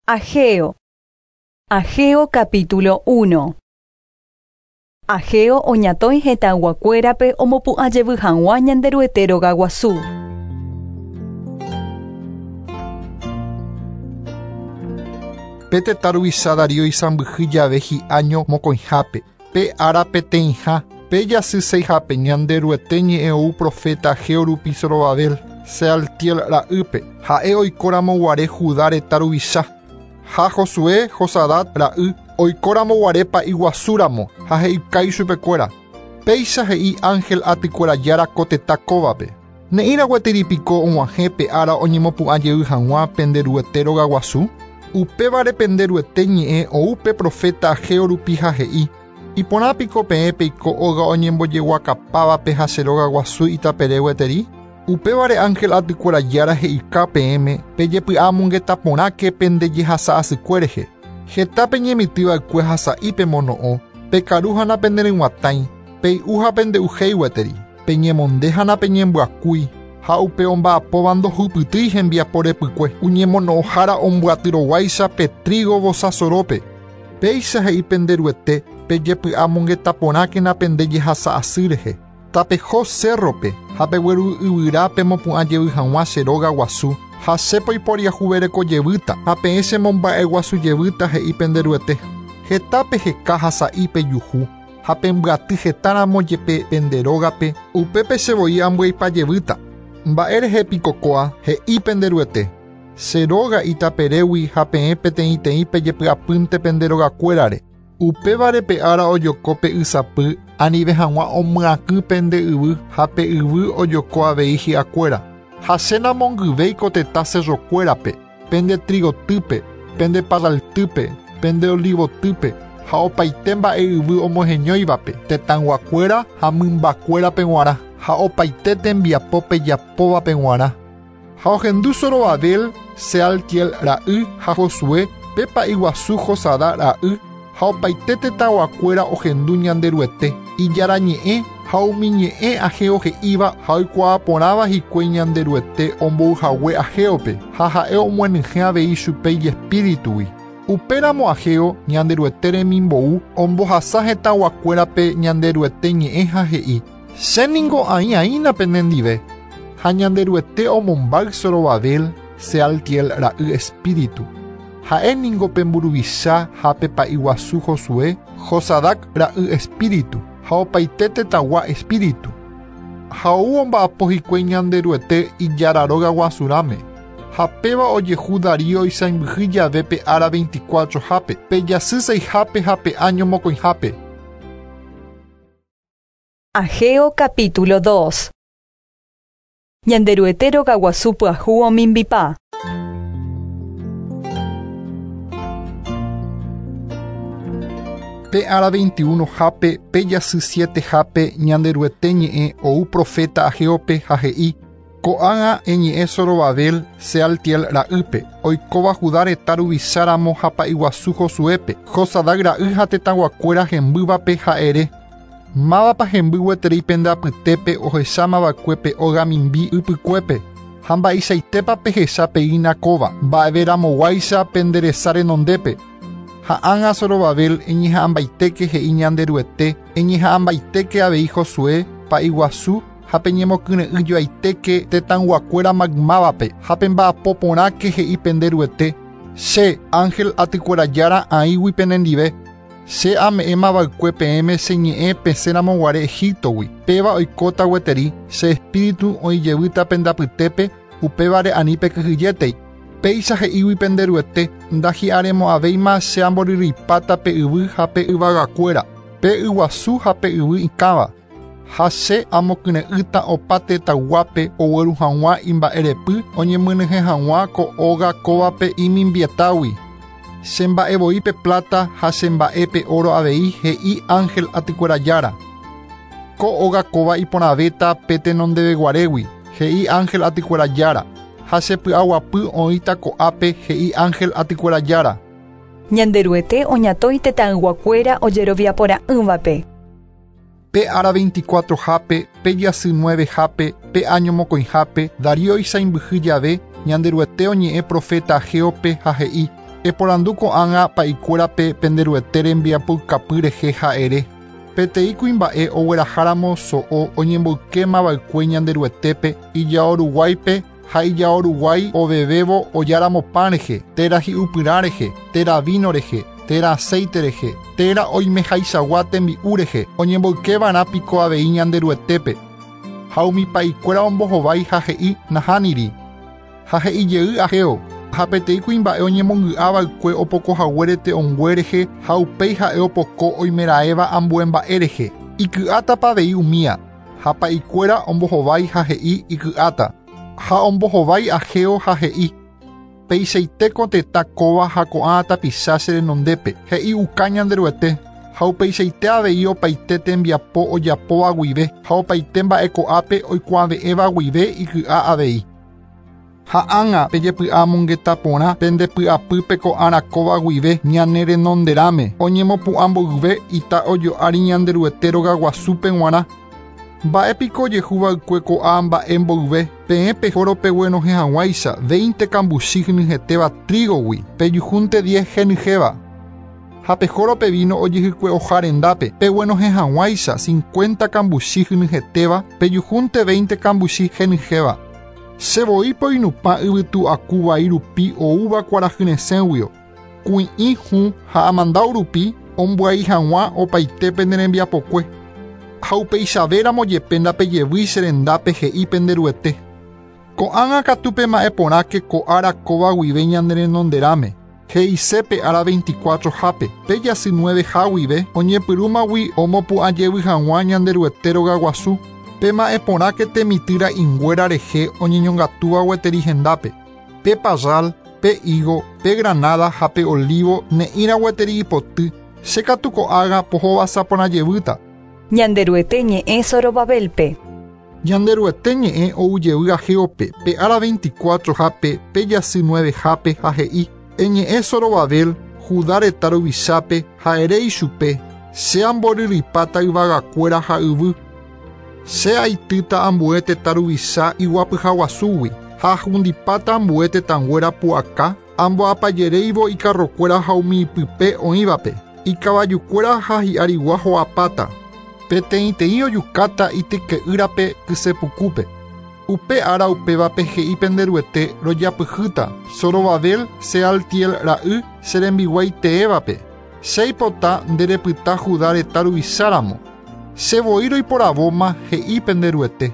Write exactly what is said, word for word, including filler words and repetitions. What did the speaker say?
Ageo. Ageo capítulo uno. Ageo oñatõi hetãyguakuérape omopu'ãjevy hag̃ua Ñanderuete rogaguasu. Pe tetã ruvicha Darío isãmbyhy jave hi'áño mokõihápe, pe ára peteĩha, pe jasy seihápe Ñanderuete ñe'ẽ ou profeta Ageo rupi Zorobabel, Sealtiel ra'ýpe, ha'e oikóramoguare Judá retã ruvicha. Ha Josué Josadat ra'y oikóramoguare pa'iguasúramo ha he'ikái chupekuéra. Péicha he'i ángel atykuerajára ko tetã kóvape. Ne'ĩra gueteripiko og̃uahẽ pe ára oñemopu'ãjey hag̃ua penderuete rogaguasu. Upévare penderuete ñe'ẽ ou pe profeta Ageo rupi ha he'i. Iporãpiko peẽ peiko óga oñembojeguakapávape ha che rogaguasu itapere gueteri. Upévare ángel atykuerajára he'ika peẽme pejepy'amongetaporãke pendejehasa'asykue rehe. Heta peñemitỹva'ekue ha sa'i pemono'õ, pekaru ha napenderyg̃uatãi, pey'u ha pende'uhéi gueteri, peñemonde ha napeñembyakúi, ha upe omba'apóva ndohupytýi hembiapo repykue, oñemono'õhára ombyatyroguáicha pe trigo vosasorópe. Péicha he'i penderuete pejepy'amongetaporãkena pendejehasa'asy rehe. Tapeho cerrope, ha pegueru yvyra pemopu'ãjevy hag̃ua che rogaguasu, ha che poiporiahuverekojevýta, ha peẽ chemomba'eguasujevýta he'i penderuete. Heta peheka ha sa'i pejuhu, ha pembyaty hetáramo jepe pende rógape, upépe chevoi ambyeipajevýta. Mba'e rehe piko kóa he'i penderuete. Che róga itaperégui ha peẽ peteĩteĩ pejepy'apýnte pende rogakuérare. Upévare pe ára ojoko pe ysapy anive hag̃ua omyakỹ pende yvy ha pe yvy ojoko avei hi'akuéra. Ha che namongyvéi ko tetã cerrokuérape, pende trigotýpe, pende parraltýpe, pende olivotýpe, ha opaite mba'e yvy omoheñóivape, tetãyguakuéra ha mymbakuérape g̃uarã, ha opaite tembiapo pejapóvape g̃uarã. Ha ohendu Zorobabel, Sealtiel ra'y ha Josué, pe pa'iguasu Josadá ra'y, ha opaite tetãyguakuéra ohendu Ñanderuete, ijára ñe'ẽ ha umi ñe'ẽ Ageo he'íva ha oikuaaporãva hikuái Ñanderuete ombouhague Ageope, ha ha'e omyenyhẽ avei chupe ijespíritugui. Upéramo Ageo Ñanderuete remimbou ombohasa hetãyguakuérape Ñanderuete ñe'ẽ ha he'i: Chéningo aĩaína penendive. Ha Ñanderuete omombáy Zorobabel, Sealtiel ra'y espíritu. Ha'e ningo pe mburuvicha ha pe pa'iguasu Josué, Josadac ra'y espíritu, ha opaite tetãgua espíritu. Ha ou omba'apo hikuái Ñanderuete ijára rogaguasurãme. Ha péva ojehu Darío isãmbyhy jave pe ára veinticuatrohápe, pe jasy seihápe ha pe áño mokõihápe. Ageo capítulo dos. Ñanderuete rogaguasu pyahu omimbipa. Pe ára veintiuno hápe, pe jasy siete hápe, Ñanderuete ñe'ẽ ou profeta Ageope ha he'i: Ko'ág̃a eñe'ẽ Zorobabel, Sealtiel ra'ýpe, oikóva Judá retã ruvicháramo ha pa'iguasu Josuépe, Josadac ra'y ha tetãyguakuéra hembývape ha'ere. Mávapa hemby gueteri pende apytépe ohechámava'ekue pe óga mimbi ypykuépe, ha mba'eichaitépa pehecha peína kóva, mba'everamoguáicha pende resa renondépe. Ha ág̃a Zorobabel eñeha'ãmbaitéke he'i Ñanderuete, eñeha'ãmbaitéke avei Josué, pa'iguasu, ha peñemokyre'ỹjoaitéke tetãyguakuéra maymávape, ha pemba'apoporãke he'i penderuete. Che, ángel atykuerajára aĩgui penendive. Che ame'ẽmava'ekue peẽme che ñe'ẽ pesẽramoguare Egiptogui. Péva oikóta gueteri, che espíritu oĩjevýta pende apytépe, upévare ani pekyhyjétei. Péicha he'ígui penderuete, ndahi'aremo'ãvéima che amboryrýipáta pe yvy ha pe yvagakuéra, pe yguasu ha pe yvy ikãva. Ha che amokyre'ỹta opa tetãyguápe ogueru hag̃ua imba'erepy oñemyenyhẽ hag̃ua ko óga kóvape imimbietágui. Che mba'evoi pe plata ha che mba'e pe oro avei he'i ángel atykuerajára. Ko óga kóva iporãvéta pe tenondeveguarégui, he'i ángel atykuerajára. Ha che py'aguapy oĩta ko'ápe he'i ángel atykuerajára. Ñanderuete oñatõi tetãyguakuéra ojeroviaporã'ỹvape. Pe ára veinticuatrohápe, pe jasy nuevehápe, pe áño mokõihápe, Darío isãmbyhy jave, Ñanderuete oñe'ẽ profeta Ageope ha he'i: Eporandu ko'ág̃a pa'ikuérape penderuete rembiapoukapy rehe ha'ere. Peteĩ kuimba'e ogueraháramo so'o oñemboykémava'ekue Ñanderuetépe ijao ruguáipe ha ijao ruguái ovevévo ojáramo pan rehe, térã hi'upyrã rehe, térã vino rehe, térã aceite rehe, térã oimehaichagua tembi'u rehe, oñemboykeva'erã piko avei Ñanderuetépe. Ha umi pa'ikuéra ombohovái ha he'i nahániri. Ha he'ijey Ageo. Ha peteĩ kuimba'e oñemongy'ava'ekue opokohaguére te'õngue rehe ha upéi ha'e opoko oimeraẽva ambue mba'e rehe. Iky'átapa avei umía. Ha pa'ikuéra ombohovái ha he'i iky'áta. Ha ombohovái Ageo ha he'i. Peichaite tetã kóva ha ko'ã tapicha che renondépe. He'i uka Ñanderuete. Ha upeichaite avei opaite tembiapo ojapóva guive ha opaite mba'e ko'ápe oikuave'ẽva guive iky'a avei. Ha ág̃a pejepy'amongeta porã pendepy'apýpe ko'ára kóva guive ñane renonderãme oñemopu'ã mboyve ita ojo'ári Ñanderuete rogaguasúpe g̃uarã. Mba'épiko ojehuva'ekue ko'ã mba'e mboyve peẽ pehóro peguenohẽ hag̃uáicha veinte kambuchi henyhẽtéva trigogui pejuhúnte diez henyhẽva. Ha pehóro pe vino ojehykue'oha rendápe peguenohẽ hag̃uáicha cincuenta kambuchi henyhẽtéva pejuhúnte veinte kambuchi henyhẽva. Che voi poinupã yvytu akuvai rupi oúva kuarahyresẽguio. Kui'ĩ hũ ha amandau rupi ombyai hag̃ua opaite pene rembiapokue. Ha upeichavéramo jepe ndapejevýi che rendápe he'i penderuete. Ko'ág̃a katu pema'ẽ porãke ko ára kóva guive ñane renonderãme. He'isépe ára veinticuatro hápe, pe jasy nueve ha guive oñepyrũmagui omopu'ãjevy hag̃ua Ñanderuete rogaguasu. Pema'ẽ porãke temitýra inguéra rehe oñeñongatúva gueteri hendápe. Pe parral, pe higo, pe granada ha pe olivo ne'ĩra gueteri ipoty. Che katu ko'ág̃a pohovasaporãjevýta. Ñanderuete ñe'ẽ Zorobabelpe. Ñanderuete ñe'ẽ oujevy Ageope, pe ára veinticuatro hápe, pe jasy nueve hápe ha he'i. Eñe'ẽ Zorobabel, Judá retã ruvichápe ha ere ichupe, che amboryrypáta yvagakuéra ha yvy. Che aitýta ambue tetã ruvicha iguapyhaguasúgui ha ahundipáta ambue tetãnguéra pu'aka amboapajeréivo ikarrokuéra ha umi ipype oĩvape. Ikavajukuéra ha hi'arigua ho'apáta. Peteĩteĩ ojukáta ityke'ýrape kysepukúpe. Upe ára upévape he'i penderuete rojapyhýta Zorobabel Sealtiel ra'y che rembiguái teévape. Che aipota nderepyta Judá retã ruvicháramo. Che voi roiporavóma he'i penderuete.